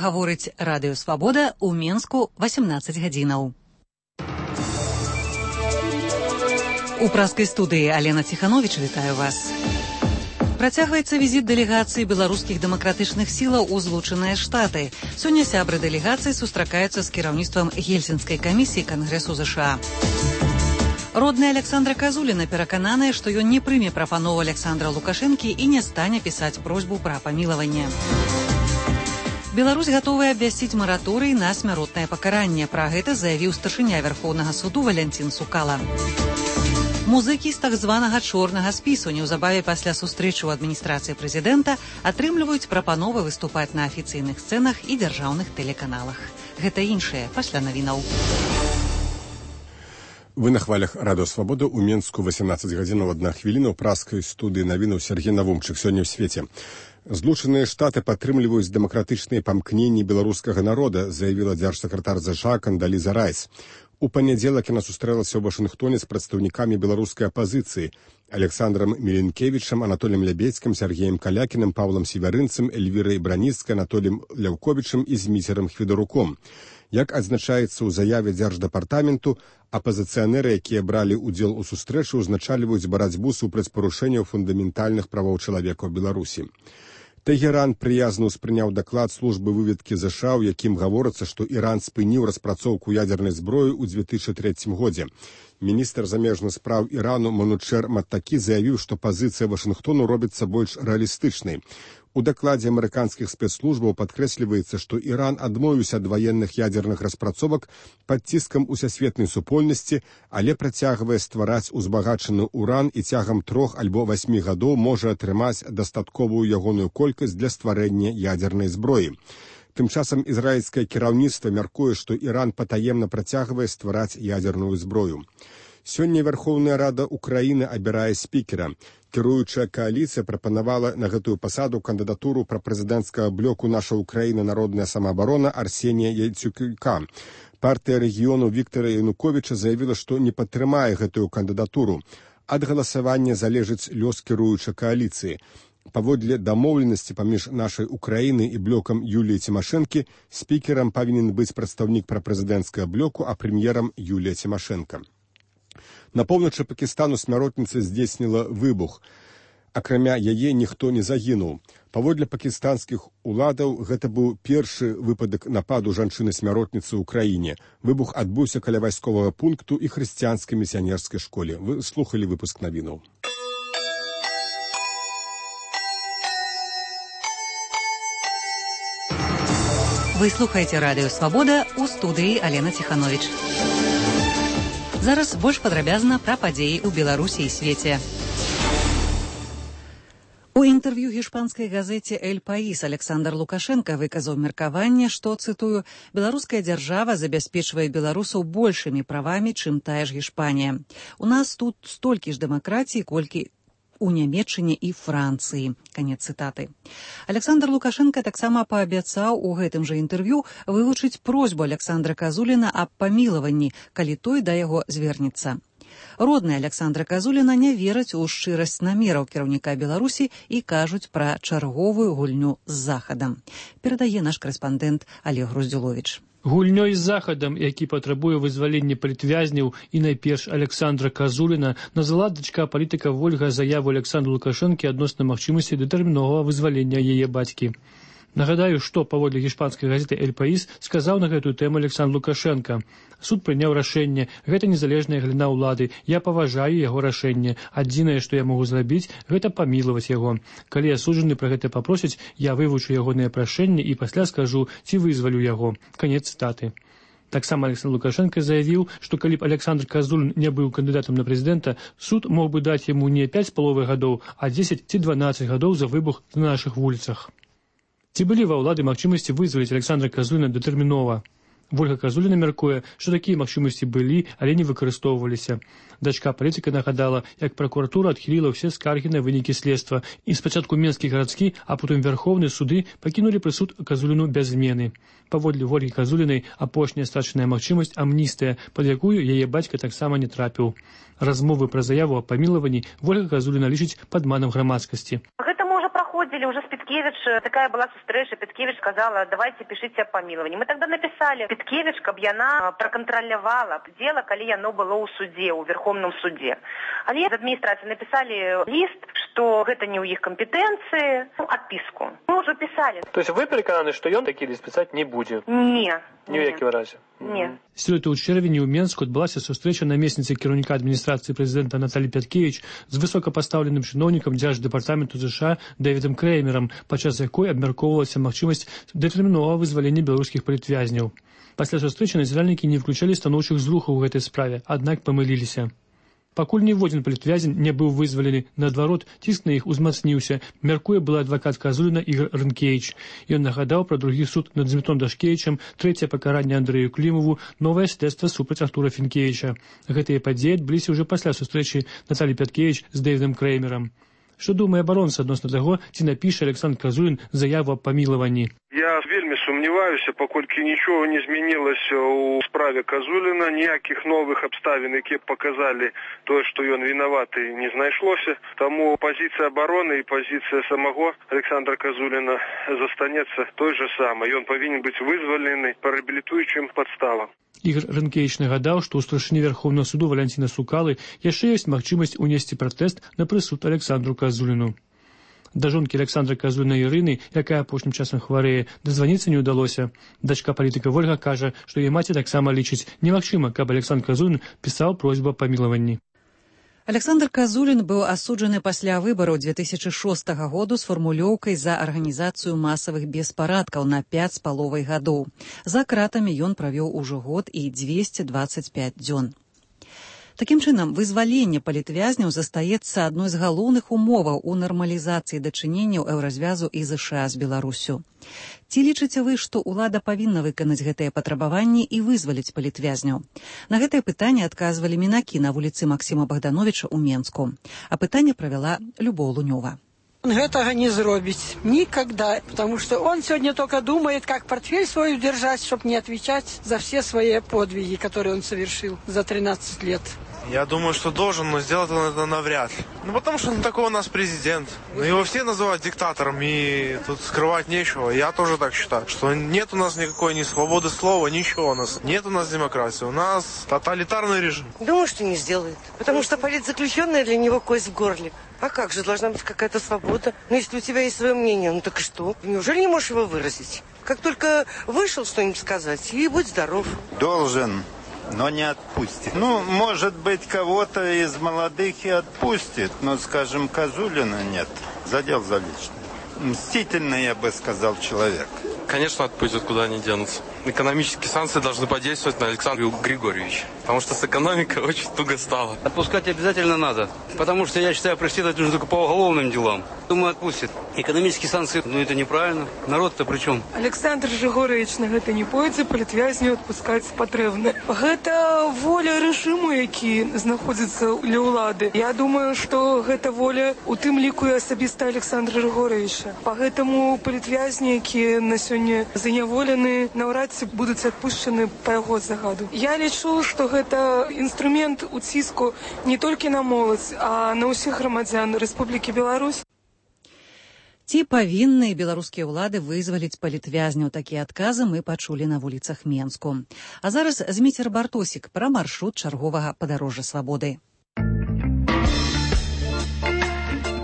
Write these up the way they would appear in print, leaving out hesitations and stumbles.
гаворыць Радыё Свабода ў Менску 18 гадзінаў. У праскай студыі Алена Ціхановіч, вітаю вас. Працягваецца візіт дэлегацыі беларускіх дэмакратычных сілаў у Злучаныя Штаты. Сёння сябры дэлегацыі сустракаюцца з кіраўніцтвам Гельсінскай камісіі Кангрэсу ЗША. Родная Александра Казуліна перакананая, што ён не прыме прапанову Александра Лукашэнкі і не стане пісаць просьбу пра памілаванне. Беларусь гатовая абвясціць мараторый на смяротнае пакаранне. Пра гэта заявіў старшыня Верхоўнага суду Валянцін Сукала. Музыкі з так званага чорнага спісу неўзабаве пасля сустрэчы ў адміністрацыі прэзідэнта атрымліваюць прапановы выступаць на афіцыйных сцэнах і дзяржаўных тэлеканалах. Гэта іншае пасля навінаў. Вы на хвалях Радыё Свабода ў Менску 18 гадзінаў 1 хвіліна ў праскай студыі навінаў Сергей Навумчык. Сёння ў свеце. Злучаныя Штаты падтрымліваюць дэмакратычныя памкненні беларускага народа, заявіла дзяржсакратар ЗША Кандаліза Райс. У панядзелак яна сустрэлася ў Вашынгтоне з прадстаўнікамі беларускай апазіцыі Александрам Міленкевічам, Анатоліем Лябедзькім, Сергеем Калякіным, Паўлам Севярынцам, Эльвірай Браніцкай, Анатоліем Ляўковічам і Зміцерам Хвідаруком. Як адзначаецца ў заяве дзярждэпартаменту, апазіцыянеры, якія бралі ўдзел у сустрэчы, узначальваюць барацьбу супраць парушэнняў фундаментальных правоў чалавека ў Беларусі. Тэгеран прыязна ўспрыняў даклад службы выведкі ЗША, у якім гаворыцца, што Іран спыніў распрацоўку ядзернай зброі ў 2003 годзе. Міністр замежных спраў Ірану Манучер Маттакі заявіў, што пазіцыя Вашынгтону робіцца больш рэалістычнай. У дакладзе амерыканскіх спецслужбаў падкрэсліваецца, што Іран адмовіўся ад ваенных ядзерных распрацовак пад ціскам усесветнай супольнасці, але працягвае ствараць узбагачаны уран і цягам 3 альбо 8 гадоў можа атрымаць дастатковую ягоную колькасць для стварэння ядзернай зброі. Тым часам ізраільскае кіраўніцтва мяркуе, што Іран патаемна працягвае ствараць ядзерную зброю. Сёння Верховная Рада Украіны абірае спікера. Кіруючая кааліцыя прапанавала на гэтую пасаду кандыдатуру прапрэзідэнцкага блоку «Наша Украіна. Народная самаабарона» Арсенія Яценюка. Партыя рэгіёну Віктара Януковіча заявіла, што не падтрымае гэтую кандыдатуру. Ад галасавання залежыць лёс кіруючай кааліцыі. Паводле дамоўленасці паміж «Нашай Украінай» і блокам Юліі Цімашэнкі спікерам павінен быць прадстаўнік прапрэзідэнцкага блоку, а прэм'ерам Юлія Цімашэнка. На поўначы Пакістану смяротніца здзейсніла выбух. Акрамя яе ніхто не загінуў. Паводле пакістанскіх уладаў гэта быў першы выпадак нападу жанчыны-смяротніцы ў краіне. Выбух адбыўся каля вайсковага пункту і хрысціянскай місіянерскай школе. Вы слухалі выпуск навінаў. Вы слухаеце Радыё Свабода, у студыі Алена Ціхановіч. Зараз больш падрабязна пра падзеі ў Беларусі і свеце. У інтэрв'ю гішпанскай газеце «Эль Паís» Александр Лукашенко выказаў меркаванне, што, цытую, «беларуская дзяржава забяспечвае беларусаў большымі правамі, чым тая ж Гішпанія. У нас тут столькі ж дэмакратіі, колькі у Нямецчыне і Францыі». Канец цытаты. Александр Лукашенко таксама паабяцаў у гэтым жа інтэрв'ю вылучыць просьбу Александра Казуліна аб памілаванні, калі той да яго звернецца. Родная Александра Казуліна не вераць у шчырасць намераў кіраўніка Беларусі і кажуць пра чарговую гульню з Захадам. Перадае наш карэспандэнт Олег Груздзюловіч. Гульнёй з Захадам, які патрабуе вызвалення палітвязняў і найперш Александра Казуліна, назвала дачка палітыка Вольга заяву Александру Лукашэнкі адносна магчымасці дэтэрміновага вызвалення яе бацькі. Нагадаю, што паводле гішпанскай газеты «Эль Паís» сказаў на гэтую тэму Александр Лукашенко. Суд прыняў рашэнне, гэта незалежная галіна ўлады, я паважаю яго рашэнне. Адзінае, што я магу зрабіць, гэта памілаваць яго. Калі асуджаны пра гэта папросяць, я вывучу ягонае прашэнне і пасля скажу, ці вызвалю яго. Канец цытаты. Таксама Александр Лукашенко заявіў, што калі б Александр Казулін не быў кандыдатам на прэзідэнта, суд мог бы даць яму не 5,5 гадоў, а 10 ці 12 гадоў за выбух на нашых вуліцах. Ці былі ва ўлады магчымасці вызваліць Александра Казуліна дэтэрмінова? Вольга Казуліна мяркуе, што такія магчымасці былі, але не выкарыстоўваліся. Дачка палітыка нагадала, як пракуратура адхіліла ўсе скаргі на вынікі следства, і спачатку Менскі гарадскі, а потым Верхоўны суды пакінулі прысуд Казуліну без змены. Паводле Вольгі Казулінай апошняя страчаная магчымасць амністыя, пад якую яе бацька таксама не трапіў. Размовы пра заяву аб памілаванні Вольга Казуліна лічыць падманам грамадскасці. Гэта можа праходзіць деле уже с Петкевич такая была встреча. Петкевич сказала, давайте пишите о помиловании. Мы тогда написали Петкевич, каб яна проконтролировала дело, коли яно было у суде, у Верховном суде. Але из администрации написали лист, что это не у их компетенции, отписку. Мы уже писали. То есть вы переконаны, что ён такі лист писать не будет? Не. Ні в якім разе? Не. Сёлета ў чэрвені ў Менску адбылася сустрэча намесніцы кіраўніка адміністрацыі прэзідэнта Наталі Пяткевіч з высокапастаўленым чыноўнікам Дзярждэпартаменту США Дэвідам Крэймерам, падчас якой абмяркоўвалася магчымасць дэтэрміновага вызвалення беларускіх палітвязняў. Пасля сустрэчы назіральнікі не выключалі станоўчых зрухаў у гэтай справе, аднак памыліліся. Пакуль ніводзін палітвязень не быў вызвалены, наадварот, ціск на іх узмацніўся, мяркуе былы адвакат Казуліна Ігор Рынкевіч. Ён нагадаў пра другі суд над Змітром Дашкевічам, трэцяе пакаранне Андрэю Клімову, новае следства супраць Артура Фінкевіча. Гэтыя падзеі адбыліся ўжо пасля сустрэчы Наталі Пяткевіч з Дэвідам Крэймерам. Што думае абаронца адносна таго, ці напіша Александр Казулін заяву аб памілаванні? Я вельмі сумніваюся, паколькі нічого не змянілася ў справе Казуліна, ніякіх новых абставін, якія б паказалі тое, што ён вінаваты, не знайшлося. Таму пазіцыя абароны і пазіцыя самого Александра Казуліна застанецца той же самай. Ён павінен быць вызвалены па рэабілітуючым падставам. Ігор Рынкевіч нагадаў, што ў старшыні Верховнага суду Валянціна Сукалы яшчэ ёсць магчымасць унесці пратэст на прысуд Александру Казуліну. Да жонкі Александра Казуліна Ірыны, якая апошнім часам хварэе, дазваніцца не ўдалося. Дачка палітыка Вольга кажа, што яе маці таксама лічыць немагчыма, каб Александр Казулін пісаў просьбу аб памілаванні. Александр Казулін быў асуджаны пасля выбараў 2006 году з фармулёўкай за арганізацыю масавых беспарадкаў на 5,5 гадоў. За кратамі ён правёў ужо год і 225 дзён. Такім чынам, вызваленне палітвязняў застаецца адной з галоўных умоваў у нармалізацыі дачыненняў еўразвязу і ЗША з Беларусю. Ці лічыце вы, што ўлада павінна выканаць гэтыя патрабаванні і вызваліць палітвязняў? На гэтае пытанне адказвалі мінакі на вуліцы Максіма Богдановича ў Менску. А пытанне правяла Любоў Лунёва. Он гэтага не зробіць никогда, потому что он сегодня только думает, как портфель свой удержать, чтобы не отвечать за все свои подвиги, которые он совершил за 13 лет. Я думаю, что должен, но сделать он это навряд ли. Ну, потому что он такой у нас президент. Ну, его все называют диктатором, и тут скрывать нечего. Я тоже так считаю, что нет у нас никакой ни свободы слова, ничего у нас. Нет у нас демократии, у нас тоталитарный режим. Думаю, что не сделает, потому что политзаключенная для него кость в горле. А как же, должна быть какая-то свобода? Ну, если у тебя есть свое мнение, ну так и что? Неужели не можешь его выразить? Как только вышел что-нибудь сказать, и будь здоров. Должен, но не отпустит. Ну, может быть, кого-то из молодых и отпустит, но, скажем, Казулина нет. Задел за личное. Мстительный, я бы сказал, человек. Конечно, отпустят, куда они денутся. Экономические санкции должны подействовать на Александра Григорьевича, потому что с экономикой очень туго стало. Отпускать обязательно надо, потому что, я считаю, преследовать нужно только по уголовным делам. Думаю, отпустят. Экономические санкции, ну это неправильно. Народ-то при чем? Александр Григорьевич на гэта не пойдзе, палітвязню адпускаць патрэбна. Гэта воля рэжыму, які знаходзіцца ля ўлады. Я думаю, што гэта воля у тым ліку і асабіста Александра Григорьевича. Поэтому палітвязні, якія на сёння заняволены, наўрад ці будуць адпушчаны па яго загаду. Я лічу, што гэта інструмент уціску не толькі на моладзь, а на ўсіх грамадзян Рэспублікі Беларусь. Ці павінны беларускія ўлады вызваліць палітвязняў? Такія адказы мы пачулі на вуліцах Менску. А зараз Зміцер Бартосік пра маршрут чарговага падарожжа свабоды.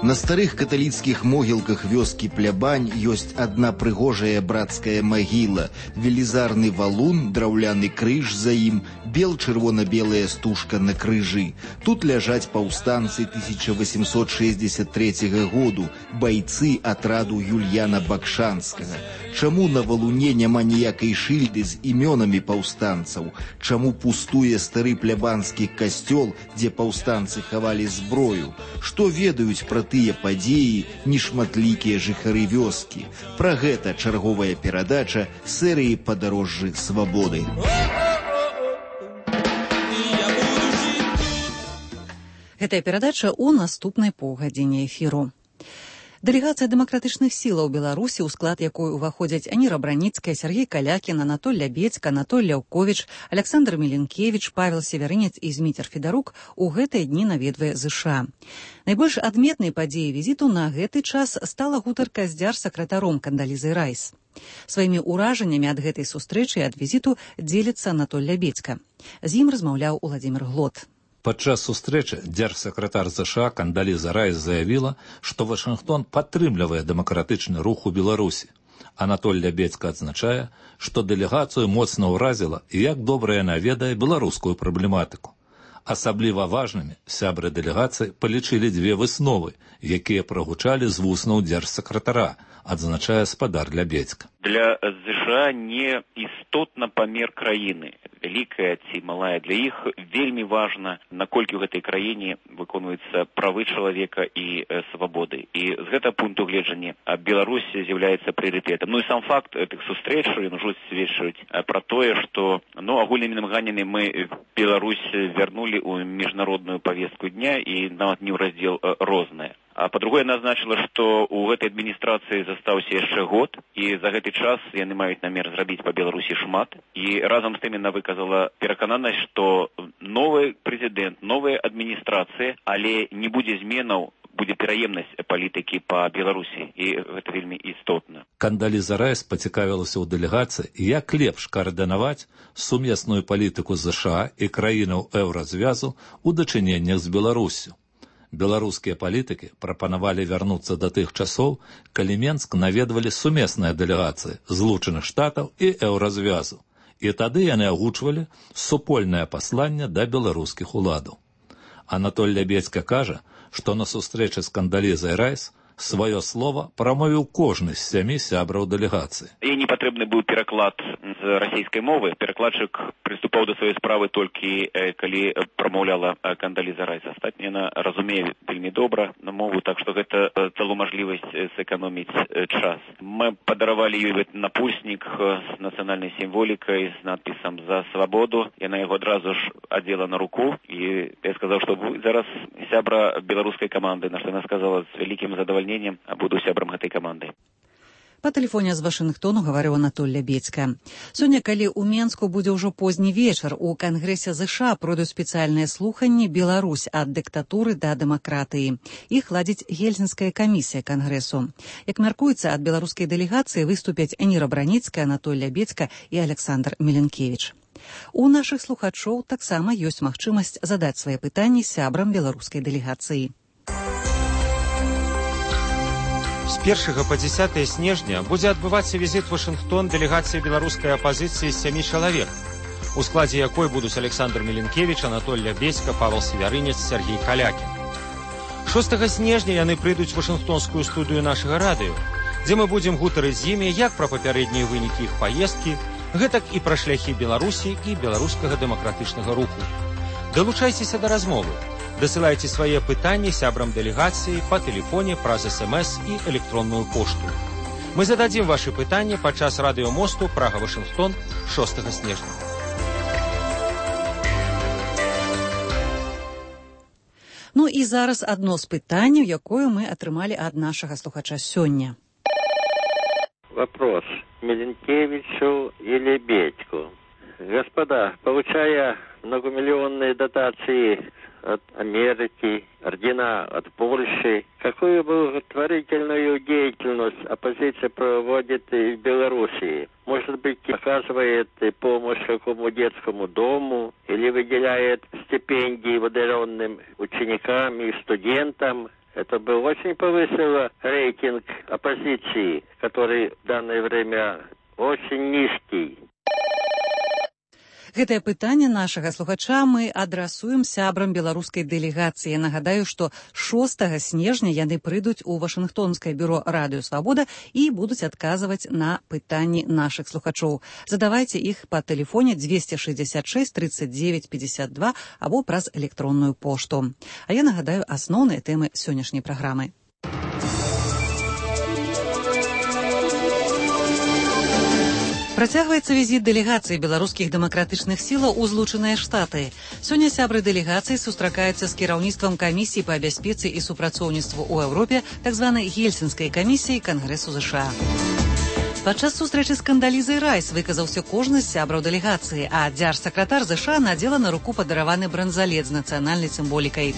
На старых каталіцкіх могілках вёскі Плябань ёсць адна прыгожая брацкая магіла, велізарны валун, драўляны крыж за ім, бел-чырвона-белая стужка на крыжы. Тут ляжаць паўстанцы 1863 году, байцы атраду Юльяна Бакшанскага. Чаму на валуне няма ніякай шыльды з імёнамі паўстанцаў? Чаму пустуе стары плябанскі касцёл, дзе паўстанцы хавалі зброю? Што ведаюць пра тыя падзеі нешматлікія жыхары вёскі? Пра гэта чарговая перадача серыі «Падарожжы свабоды». Гэтая перадача ў наступнай паўгадзіне эфіру. Дэлегацыя дэмакратычных сілаў Беларусі, у склад якой уваходзяць Аніра Браніцкая, Сергей Калякін, Анатоль Лябедзька, Анатоль Ляўковіч, Александр Міленкевіч, Павел Севярынец і Зміцер Федарук у гэтыя дні наведвае ЗША. Найбольш адметнай падзеяй візіту на гэты час стала гутарка з дзяржсакратаром Кандалізай Райс. Сваімі ўражаннямі ад гэтай сустрэчы і ад візіту дзеліцца Анатоль Лябедзька. З ім размаўляў Уладзімір Глот. Падчас сустрэчы дзяржсакратар ЗША Кандаліза Райс заявіла, што Вашынгтон падтрымлівае дэмакратычны рух у Беларусі. Анатоль Лябедзька адзначае, што дэлегацыю моцна ўразіла і як добра яна ведае беларускую праблематыку. Асабліва важнымі сябры дэлегацыі палічылі дзве высновы, якія прагучалі з вуснаў дзяржсакратара, адзначае спадар Лябедзька. Для ЗША не істотна памер краіны, вялікая ці малая. Для іх вельмі важна, наколькі ў гэтай краіне выконваюцца правы чалавека і свабоды. І з гэтага пункту гледжання Беларусь з'яўляецца прыярытэтам. Ну і сам факт гэтых сустрэч ўжо сведчыць пра тое, што агульнымі намаганнямі мы Беларусь вярнулі ў міжнародную павестку дня і нават не ў раздзел рознае. А па-другое, назначила, што ў гэтай адміністрацыі застаўся яшчэ год, і за гэты час яны маюць намер зрабіць па Беларусі шмат. І разам з тым яна выказала перакананасць, што новы прэзідэнт, новая адміністрацыя, але не будзе зменаў, будзе пераемнасць палітыкі па Беларусі, і гэта вельмі істотна. Кандаліза Райс пацікавілася ў дэлегацыі, як лепш каардынаваць сумесную палітыку ЗША і краінаў еўразвязу ў дачыненнях з Беларусю. Беларускія палітыкі прапанавалі вярнуцца да тых часоў, калі Менск наведвалі сумесныя дэлегацыі Злучаных Штатаў і еўразвязу. І тады яны агучвалі супольнае пасланне да беларускіх уладаў. Анатоль Лябедзька кажа, што на сустрэчы з Кандалізай Райс сваё слова прамовіў кожны з 7 сябраў дэлегацыі. І не патрэбны быў пераклад з расійскай мовы. Перакладчык прыступаў да сваёй справы толькі калі прамаўляла Кандаліза Райс. Астатняе яна разумее вельмі добра на мову, так што гэта дало мажлівасць сэканоміць час. Мы падаравалі ёй напульснік з нацыянальнай сімволікай, з надпісам «За свабоду». Яна яго адразу ж адзела на руку, і я сказаў, што зараз сябра беларускай каманды, на што яна сказала з вялікім задавальненнем, буду сябрам гэтай каманды. Па тэлефоне з Вашынгтону гаварыў Анатоль Лябедзька. Сёння, калі ў Менску будзе ўжо позні вечар, у Кангрэсе ЗША пройдуць спецыяльныя слуханні «Беларусь ад дыктатуры да дэмакратыі». Іх ладзіць Гельсінская камісія Кангрэсу. Як мяркуецца, ад беларускай дэлегацыі выступяць Аніра Браніцкая, Анатоль Лябедзька і Александр Міленкевіч. У нашых слухачоў таксама ёсць магчымасць задаць свае пытанні сябрам беларускай дэлегацыі. З 1 па 10 снежня будзе адбывацца візіт Вашынгтон дэлегацыі беларускай апазіцыі з 7 чалавек, у складзе якой будуць Александр Міленкевіч, Анатоль Лябедзька, Павел Севярынец, Сергей Калякін. 6 снежня яны прыйдуць у Вашынгтонскую студыю нашага радыё, дзе мы будзем гутарыць з імі як пра папярэднія вынікі іх паездкі, гэтак і пра шляхі Беларусі і беларускага дэмакратычнага руху. Далучайцеся да размовы. Дасылайце свае пытанні сябрам дэлегацыі па тэлефоне праз СМС і электронную пошту. Мы зададзім вашы пытанні падчас радыёмосту Прага-Вашынгтон 6 снежня. Ну і зараз адно з пытанняў, якое мы атрымалі ад нашага слухача сёння. Вопрос Миленкевичу и Лебедьку. Господа, получая многомиллионные дотации от Америки, ордена от Польши, какую благотворительную деятельность оппозиция проводит в Белоруссии? Может быть, оказывает помощь какому детскому дому или выделяет стипендии выделенным ученикам и студентам? Это бы очень повысило рейтинг оппозиции, который в данное время очень низкий. Гэтае пытанне нашага слухача мы адрасуем сябрам беларускай дэлегацыі. Нагадаю, што 6 снежня яны прыйдуць у Вашынгтонскае бюро «Радыё Свабода» і будуць адказваць на пытанні нашых слухачоў. Задавайце іх па тэлефоне 266 39 52 або праз электронную пошту. А я нагадаю асноўныя тэмы сённяшняй праграмы. Працягваецца візіт дэлегацыі беларускіх дэмакратычных сілаў у Злучаныя Штаты. Сёння сябры дэлегацыі сустракаюцца з кіраўніцтвам камісіі па бяспецы і супрацоўніцтву ў Еўропе, так званай Гельсінскай камісіі Кангрэсу ЗША. Падчас сустрэчы з Кандалізай Райс выказаўся кожны з сябраў дэлегацыі, а дзяржсакратар ЗША надзела на руку падараваны бранзалет з нацыянальнай сімволікай.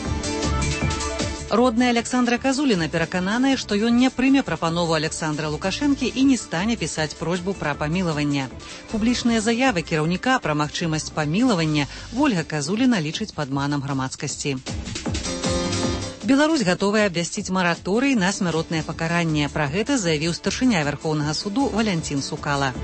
Родная Александра Казуліна перакананая, што ён не прыме прапанову Александра Лукашэнкі і не стане пісаць просьбу пра памілаванне. Публічныя заявы кіраўніка пра магчымасць памілавання Ольга Казуліна лічыць падманам грамадскасці. Беларусь гатовая абвясціць мараторый на смяротнае пакаранне. Пра гэта заявіў старшыня Вярхоўнага суду Валянцін Сукала.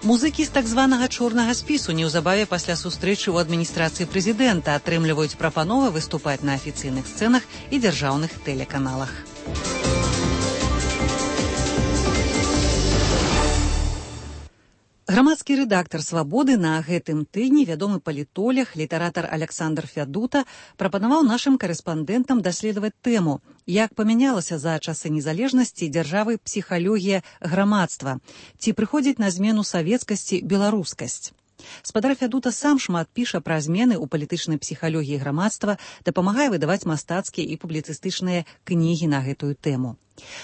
Музыкі з так званага чорнага спісу неўзабаве пасля сустрэчы ў адміністрацыі прэзідэнта атрымліваюць прапановы выступаць на афіцыйных сцэнах і дзяржаўных тэлеканалах. Грамадскі рэдактар «Свабоды» на гэтым тыдні вядомы палітолог, літаратар Александр Фядута прапанаваў нашым карэспандэнтам даследаваць тэму, як памянялася за часы незалежнасці дзяржавы псіхалогія грамадства, ці прыходзіць на змену савецкасці беларускасць. Спадар Фядута сам шмат піша пра змены ў палітычнай псіхалогіі грамадства, дапамагае выдаваць мастацкія і публіцыстычныя кнігі на гэтую тэму.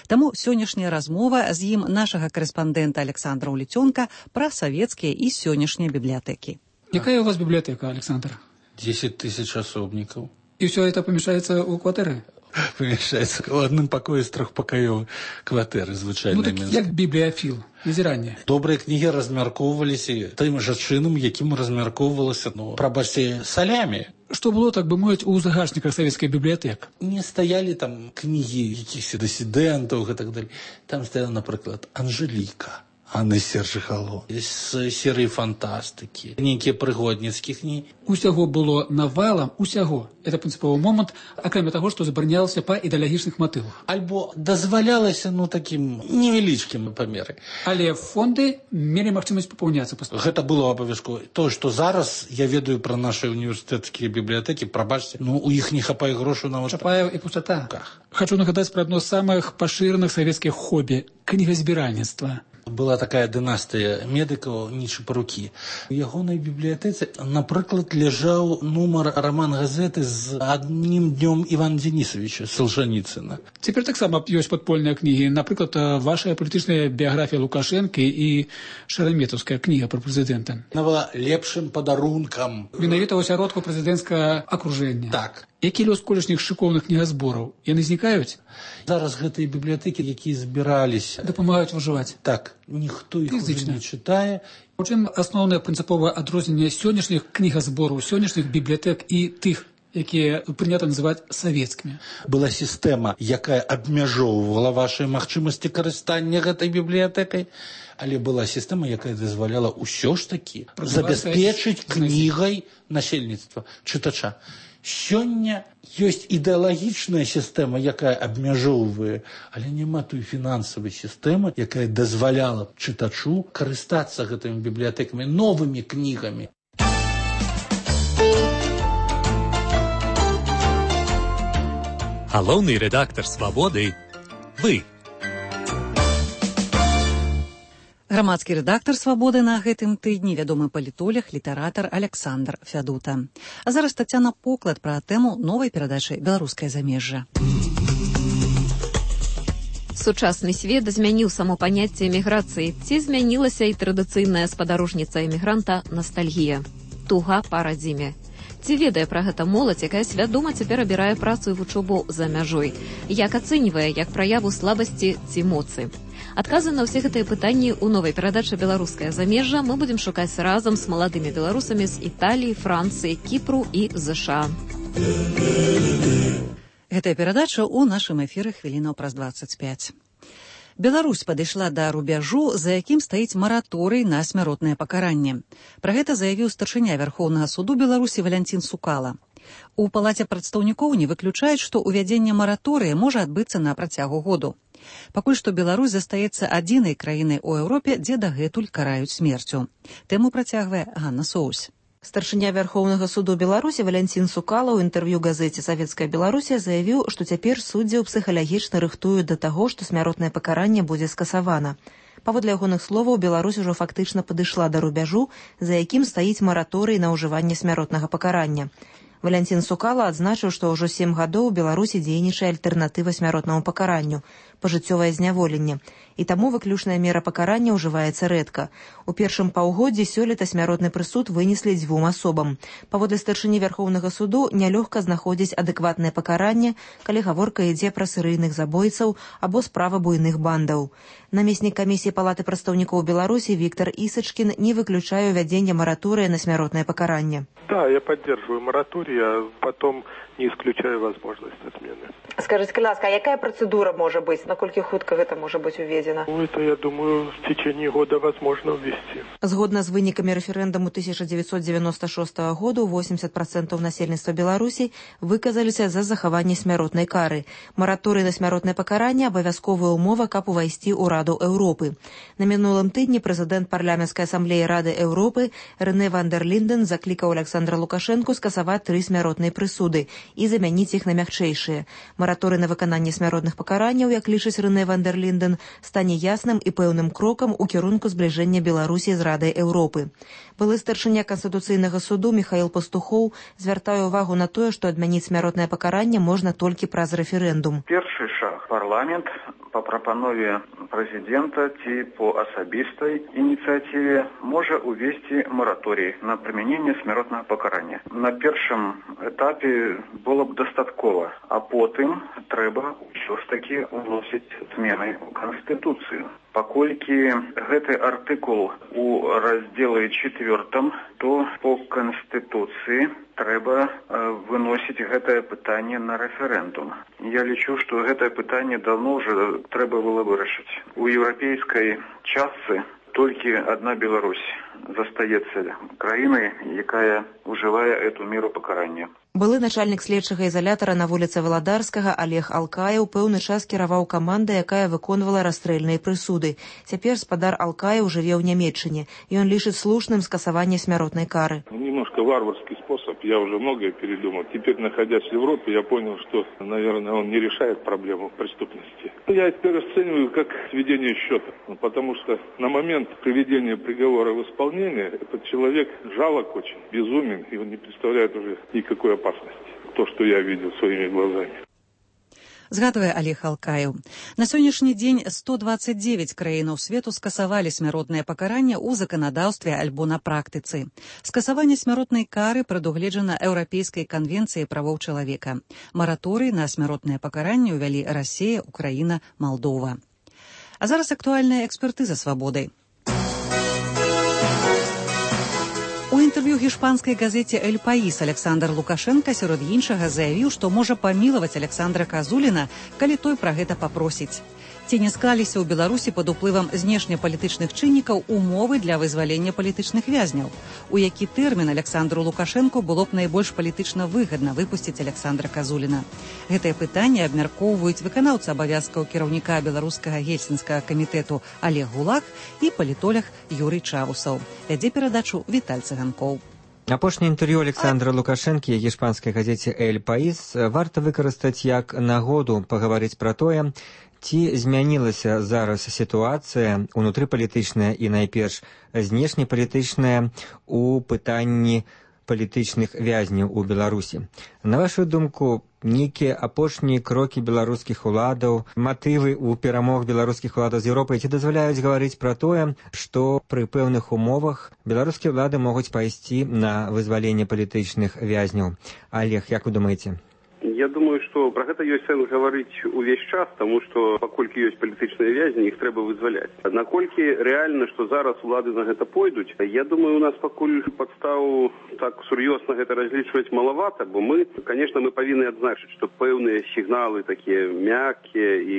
Таму сённяшняя размова з ім нашага карэспандэнта Александра Уліцёнка пра савецкія і сённяшнія бібліятэкі. Якая у вас библиотека, Александр? 10 тысяч особников. И все это помещается у квартиры? Помещается в одном покое из трехпокоевой квартиры, звычайной. Ну так як бібліяфіл, назірання. Добрыя кнігі размяркоўваліся тым жа чынам, якім размяркоўвалася, прабачце, салямі. Что было, так бы мовіць, у загашніках савецкай бібліятэк? Не стаялі там кнігі якіхось дысідэнтаў і так далее. Там стаяла, напрыклад, Анжеліка. Анны Сержихало, з серыі фантастыкі, нейкія прыгодніцкія кнігі. Усяго было навалам, усяго. Это прынцыповы момант, акрамя таго, што забаранялася па ідэалагічных матывах. Альбо дазвалялася, такім невялічкім памеры. Але фонды мелі магчымасць папаўняцца. Гэта было абавязкова. Тое, што зараз я ведаю пра нашы універсітэцкія бібліятэкі, прабачце, у іх не хапае грошаў нават. Хапае і пустата. Хочу нагадаць пра адно з самых пашыраных савецкіх хобі – кнігазбіральніцтва. Была такая дынастыя медыкаў Нічапарукі. У ягонай бібліятэцы, напрыклад, ляжаў нумар раман-газеты з адным днём Івана Денисовича Солжаніцына. Цяпер таксама ёсць падпольныя кнігі. Напрыклад, ваша палітычная біяграфія Лукашэнкі і Шараметаўская кніга пра прэзідэнта. Она была лепшым падарункам. Менавіта ў асяродку прэзідэнцкага акружэння. Так. Які лёс колішніх шыкоўных кнігазбораў? Яны знікаюць? Зараз гэтыя бібліятэкі, якія збіраліся, дапамагаюць выжываць. Так, ніхто іх уже не чытае. У чым асноўнае прынцыповае адрозненне сённяшніх кнігазбораў, сённяшніх бібліятэк і тых, якія прынята называць савецкімі? Была сістэма, якая абмяжоўвала вашыя магчымасці карыстання гэтай бібліятэкай, але была сістэма, якая дазваляла ўсё ж такі забяспечыць кнігай насельніцтва, чытача. Сёння ёсць ідэалагічная сістэма, якая абмяжоўвае, але няма той фінансавай сістэмы, якая дазваляла чытачу карыстацца гэтымі бібліятэкамі, новымі кнігамі. Галоўны рэдактар «Свабоды» – вы. Грамадскі рэдактар «Свабоды» на гэтым тыдні вядомы палітолог, літаратар Александр Фядута. А зараз Тацяна Поклад пра тэму новай перадачы «Беларускае замежжа». Сучасны свет змяніў само паняцце эміграцыі. Ці змянілася і традыцыйная спадарожніца эмігранта ностальгія. Туга па радзіме. Ці ведае пра гэта моладзь, якая свядома цяпер абірае працу і вучобу за мяжой? Як ацэньвае, як праяву слабасці ці моцы? Адказы на ўсе гэтыя пытанні ў новай перадачы «Беларускае замежжа» мы будзем шукаць разам з маладымі беларусамі з Італіі, Францыі, Кіпру і ЗША. Гэтая перадача ў нашым эфіры хвілінаў праз 25. Беларусь падышла да рубяжу, за якім стаіць мараторый на смяротнае пакаранне. Пра гэта заявіў старшыня Вярхоўнага суду Беларусі Валянцін Сукала. У палаце прадстаўнікоў не выключаюць, што ўвядзенне мараторыя можа адбыцца на працягу году. Пакуль што Беларусь застаецца адзінай краінай у Еўропе, дзе дагэтуль караюць смерцю. Тэму працягвае Ганна Соусь. Старшыня Вярхоўнага суду Беларусі Валянцін Сукала ў інтэрв'ю газеце «Савецкая Беларусія» заявіў, што цяпер суддзяў псіхалагічна рыхтуюць да таго, што смяротнае пакаранне будзе скасавана. Паводле ягоных словаў, Беларусь ужо фактычна падышла да рубяжу, за якім стаіць мараторый на ўжыванне смяротнага пакарання. Валянцін Сукала адзначыў, што ўжо 7 гадоў у Беларусі дзейнічае альтэрнатыва смяротнаму пакаранню – пажыццёвае зняволенне. І таму выключная мера пакарання ўжываецца рэдка. У першым паўгоддзі сёлета смяротны прысуд вынеслі 2 асобам. Паводле старшыні Вярхоўнага суду нялёгка знаходзіць адэкватнае пакаранне, калі гаворка ідзе пра серыйных забойцаў або справы буйных бандаў. Намеснік камісіі Палаты прадстаўнікоў Беларусі Віктор Ісачкін не выключае увядзення моратория на смяротное покарание. Да, я поддерживаю мораторий, а потом не исключаю возможность отмены. Скажите, ласка, а какая процедура может быть? Наколькі хутка это может быть уведено? Ну, это, я думаю, в течение года возможно ввести. Згодна з вынікамі рэферэндуму 1996 года 80% насельніцтва Беларусі выказаліся за захаванне смяротнай кары. Мораторый на смяротнае пакаранне абавязковая умова, каб увайсці ў Раду Еўропы. На мінулым тыдні прэзідэнт парламенцкай асамблеі Рады Еўропы Рэне ван дер Линден заклікаў Александра Лукашэнку скасаваць 3 смяротныя прысуды і замяніць іх на мякчэйшыя. Мораторый на выкананне смяротных пакаранняў, як лічыць Рэне ван дер Линден, стане ясным і пэўным крокам у кірунку збліжэння Беларусі з Радай Еўропы. Былы старшыня Канстытуцыйнага суду Михаил Пастухоў звяртае ўвагу на тое, што адмяніць смяротнае пакаранне можна толькі праз рэферэндум. Першы шаг. Парламент по прапанове прэзідэнта ці по асабістай ініцыятыве можа увесці мораторий на прымяненне смяротнага пакарання. На першым этапе было б дастаткова, а потым трэба ўсё ж такі уносіць змены ў Канстытуцыю. Паколькі гэты артыкул у раздзеле 4, то по Канстытуцыі трэба выносіць гэтае пытанне на рэферэндум. Я лічу, што гэтае пытанне давно ўжо трэба было вырашыць. У еўрапейскай частцы толькі адна Беларусь застаецца краінай, якая ўжывае эту меру пакарання. Былы начальнік следчага ізалятара на вуліцы Валадарскага Олег Алкаев пэўны час кіраваў камандай, якая выконвала расстрэльныя прысуды. Цяпер спадар Алкаев жыве ў Нямецчыне, і ён лічыць слушным скасаванне смяротнай кары. Немножко варварский способ, я уже многое передумал. Теперь, находясь в Европе, я понял, что, наверное, он не решает проблему преступности. Я теперь расцениваю как сведение счета, потому что на момент приведения приговора в исполнение этот человек жалок очень, безумен, и он не представляет уже никакой опасности. То, что я видел своими глазами. Згадвае Олег Алкаев. На сённяшні дзень 129 краінаў свету скасавалі смяротнае пакаранне ў заканадаўстве альбо на практыцы. Скасаванне смяротнай кары прадугледжана Еўрапейскай канвенцыяй правоў чалавека. Мараторый на смяротнае пакаранне ўвялі Расія, Украіна, Малдова. А зараз актуальная экспертыза свабодай. У інтэрв'ю гішпанскай газеце «Эль Паís» Александр Лукашенко сярод іншага заявіў, што можа памілаваць Александра Казуліна, калі той пра гэта папросіць. Ці не склаліся ў Беларусі пад уплывам знешнепалітычных чыннікаў умовы для вызвалення палітычных вязняў? У які тэрмін Александру Лукашэнку было б найбольш палітычна выгадна выпусціць Александра Казуліна? Гэтае пытанне абмяркоўваюць выканаўца абавязкаў кіраўніка беларускага гельсінскага камітэту Олег Гулак і палітолог Юрый Чавусаў. Вядзе перадачу Віталь Цыганкоў. Апошняе інтэрв'ю Александра Лукашэнкі гішпанскай газеце «Эль Паís» варта выкарыстаць як нагоду пагаварыць пра тое, ці змянілася зараз сітуацыя унутрыпалітычная і найперш знешнепалітычная у пытанні палітычных вязняў у Беларусі. На вашу думку, нейкія апошнія крокі беларускіх уладаў, матывы ў перамог беларускіх уладаў з Еўропай ці дазваляюць гаварыць пра тое, што пры пэўных умовах беларускія ўлады могуць пайсці на вызваленне палітычных вязняў? Олег, як вы думаеце? Я думаю, что про гэта ёсць сэнс гаварыць увесь час, тому что паколькі ёсць палітычныя вязні, іх трэба вызваляць. Наколькі рэальна, што зараз улады на гэта пойдуць, я думаю, у нас пакуль падстаў так сур'ёзна гэта разлічваць малавата, бо мы, конечно, мы павінны адзначыць, што пэўныя сігналы такія мяккія і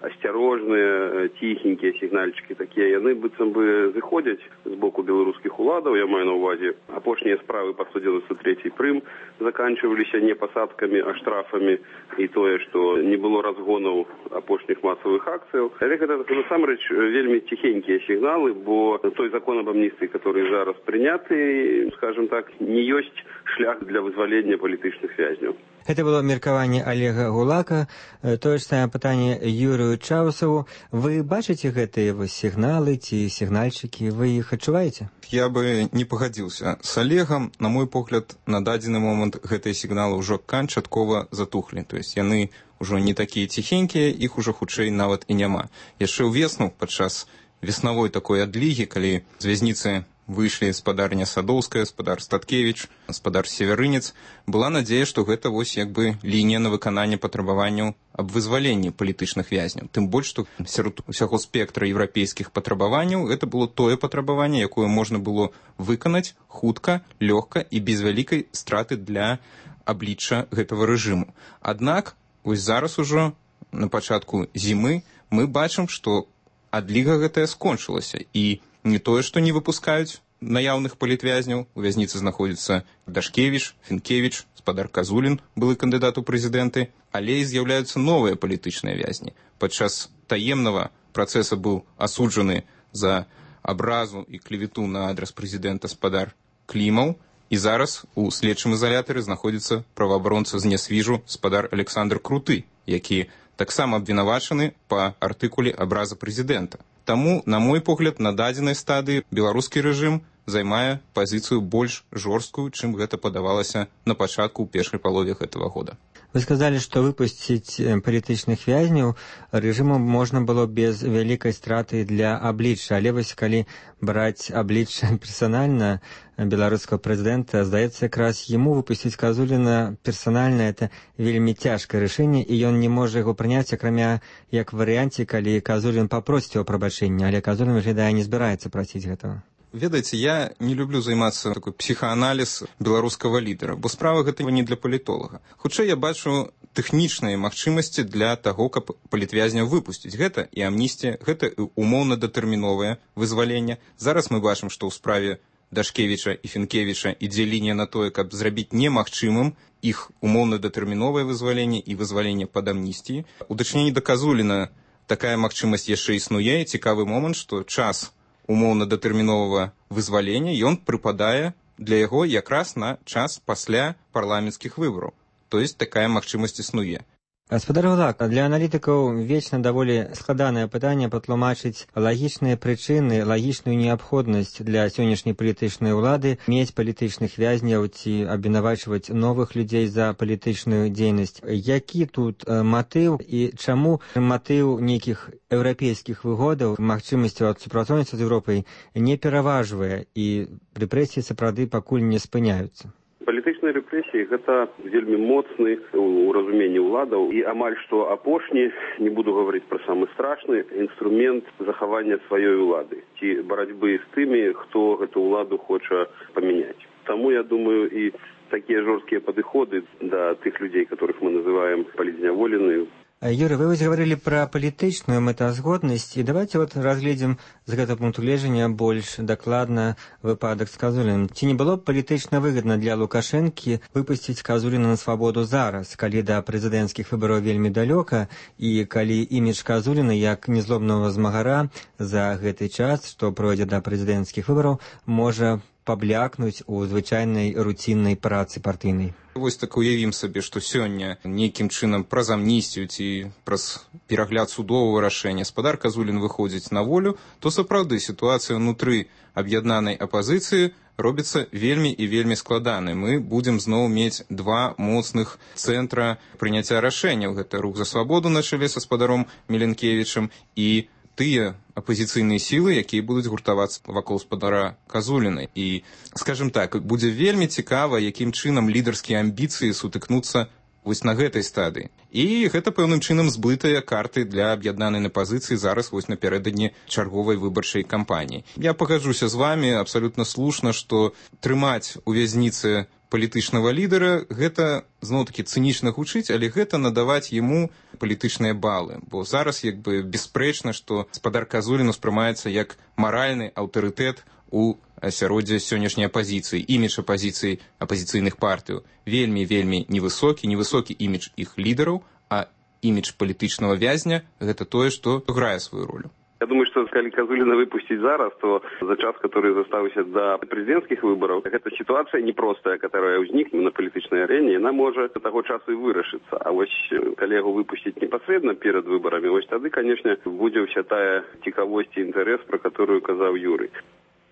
асцярожныя, ціхенькія сігнальчыкі такія, яны быццам бы зыходзяць з боку беларускіх уладаў, я маю на ўвазе. Апошнія справы па 193 прым заканчиваліся не пасадкамі, а штрафамі, і тое, што не было разгонаў апошніх масавых акцыяў. Але гэта насамрэч вельмі ціхенькія сігналы, бо той закон об амністыі, который зараз прыняты, скажем так, не ёсць шлях для вызвалення палітычных вязняў. Гэта было меркаванне Олега Гулака. Тое ж самае пытанне Юрыю Чаусаву. Вы бачыце гэтыя сігналы ці сігнальчыкі? Вы іх адчуваеце? Я бы не пагадзіўся з Олегам. На мой погляд, на дадзены момант гэтыя сігналы ўжо канчаткова затухлі. То есть яны ўжо не такія ціхенькія, іх ужо хутчэй нават і няма. Яшчэ ўвесну, падчас веснавой такой адлігі, калі з вязніцы выйшлі спадарня Садоўская, спадар Статкевіч, спадар Северынец, была надзея, што гэта вось як бы лінія на выкананне патрабаванняў аб вызваленні палітычных вязняў. Тым больш, што сярод усяго спектра еўрапейскіх патрабаванняў гэта было тое патрабаванне, якое можна было выканаць хутка, лёгка і без вялікай страты для аблічча гэтага рэжыму. Аднак, вось зараз ужо на пачатку зімы мы бачым, што адліга гэтая скончылася, і не тое, што не выпускаюць наяўных палітвязняў. У вязніцы знаходзіцца Дашкевіч, Фінкевіч, спадар Казулін, былы кандыдат у прэзідэнты, але і з'яўляюцца новыя палітычныя вязні. Падчас таемнага працэса быў асуджаны за абразу і клевету на адрас прэзідэнта спадар Клімаў, і зараз у следчым изолятары знаходзіцца праваабаронца з Нясвіжу спадар Александр Круты, які таксама абвінавачаны па артыкуле абраза прэзідэнта. Таму, на мой погляд, на дадзенай стадыі беларускі рэжым займае пазіцыю больш жорсткую, чым гэта падавалася на пачатку ў першай палове гэтага года. Вы сказалі, што выпусціць палітычных вязняў рэжыму можна было без вялікай страты для аблічча, але вось калі браць аблічча персанальна беларускага прэзідэнта, здаецца, якраз яму выпусціць Казуліна персанальна это вельмі цяжкае рашэнне, і ён не можа яго прыняць, акрамя як варыянце, калі Казулін папросіць яго прабачэння, але Казулін, выглядае, не збіраецца прасіць гэтага. Ведаеце, я не люблю займацца такой псіхааналіз беларускага лідара, бо справа гэтага не для палітолага. Хутчэй я бачу тэхнічныя магчымасці для таго, каб палітвязняў выпусціць. Гэта і амністія, гэта і умоўна-датэрміновае вызваленне. Зараз мы бачым, што ў справе Дашкевіча і Фінкевіча ідзе лінія на тое, каб зрабіць немагчымым іх умоўна-датэрміновае вызваленне і вызваленне пад амністіі. У дачыненні да Казуліна такая магчымасць яшчэ існуе. Цікавы момант, што час умоўна-датэрміновага вызвалення ён прыпадае для яго якраз на час пасля парламенцкіх выбараў. То есть такая магчымасць існуе. Гаспадар Гулак, для аналітыкаў вечна даволі складанае пытанне патлумачыць лагічныя прычыны, лагічную неабходнасць для сённяшняй палітычнай улады мець палітычных вязняў ці абвінавачваць новых людзей за палітычную дзейнасць. Які тут матыў і чаму матыў нейкіх еўрапейскіх выгодаў, магчымасцяў ад супрацоўніцтва з Еўропай не пераважвае і рэпрэсіі сапраўды пакуль не спыняюцца? Палітычныя рэпрэсіі гэта вельмі моцны у разуменні ўладаў і амаль што апошні, не буду гаварыць пра самы страшны, інструмент захавання сваёй улады ці барацьбы з тымі, хто гэту ўладу хоча памяняць. Таму, я думаю, і такія жорсткія падыходы да тых людзей, которых мы называем палітзняволеныя. Юрий, вы говорили про палітычную мэтазгоднасць, і давайте вот разгледзім з гэтага пункту гледжання больш дакладна выпадак з Казуліным. Ці не было б палітычна выгадна для Лукашэнкі выпусціць Казуліна на свабоду зараз, калі да прэзідэнцкіх выбараў вельмі далёка, і калі імідж Казуліна як незлобнага змагара за гэты час, што пройдзе да прэзідэнцкіх выбараў, можа паблякнуць у звычайнай руціннай працы партыйнай? Вось так уявім сабе, што сёння нейкім чынам праз амністію ці праз перагляд судовага рашэння спадар Казулін выходзіць на волю, то сапраўды сітуацыя ўнутры аб'яднанай апазіцыі робіцца вельмі і вельмі складанай. Мы будзем зноў мець два моцных цэнтра прыняцця рашэнняў. Гэта рух за свабоду на чале са спадаром Меленкевічам і тыя апозіцыйныя сілы, якія будуць гуртавацца вакол спадара Казуліна. І, скажем так, будзе вельмі цікава, якім чынам лідарскія амбіцыі сутыкнуцца вось на гэтай стадыі. І гэта пэўным чынам збытыя карты для аб'яднанай пазіцыі зараз вось напярэдадні чарговай выбарчай кампаніі. Я пагаджуся з вами абсалютна слушна, што трымаць у вязніцы палітычнага лідара, гэта, зноў-такі, цынічна гучыць, але гэта надаваць яму палітычныя балы. Бо зараз, як бы, бясспрэчна, што спадар Казулін успрымаецца як маральны аўтарытэт у асяроддзе сённяшняй апазіцыі, імідж апазіцыі апазіцыйных партыяў. Вельмі невысокі імідж іх лідараў, а імідж палітычнага вязня – гэта тое, што грае сваю ролю. Я думаю, что если Казулина выпустить зараз, то за час, который заставился до президентских выборов, эта ситуация непростая, которая возникнет на политической арене, она может до того часу и вырашиться. А вот коллегу выпустить непосредственно перед выборами, вот тогда, конечно, будет вся та цікавость и интерес, про которую сказал Юрий.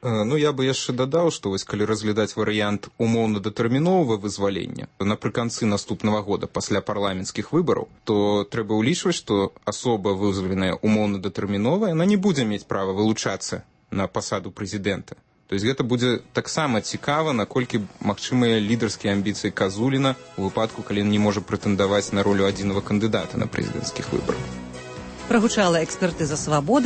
Ну, я бы яшчэ дадаў, што вось калі разглядаць варыянт умоўна-датэрміновага вызвалення напрыканцы наступнага года пасля парламенцкіх выбараў, то трэба ўлічваць, што асоба вызваленая умоўна-датэрмінова, яна не будзе мець права вылучацца на пасаду прэзідэнта. То есть гэта будзе таксама цікава, наколькі магчымыя лідарскія амбіцыі Казуліна у выпадку, калі ён не можа прэтэндаваць на ролю адзінага кандыдата на прэзідэнцкіх выбарах. Прагучала экспертыза «Свабоды».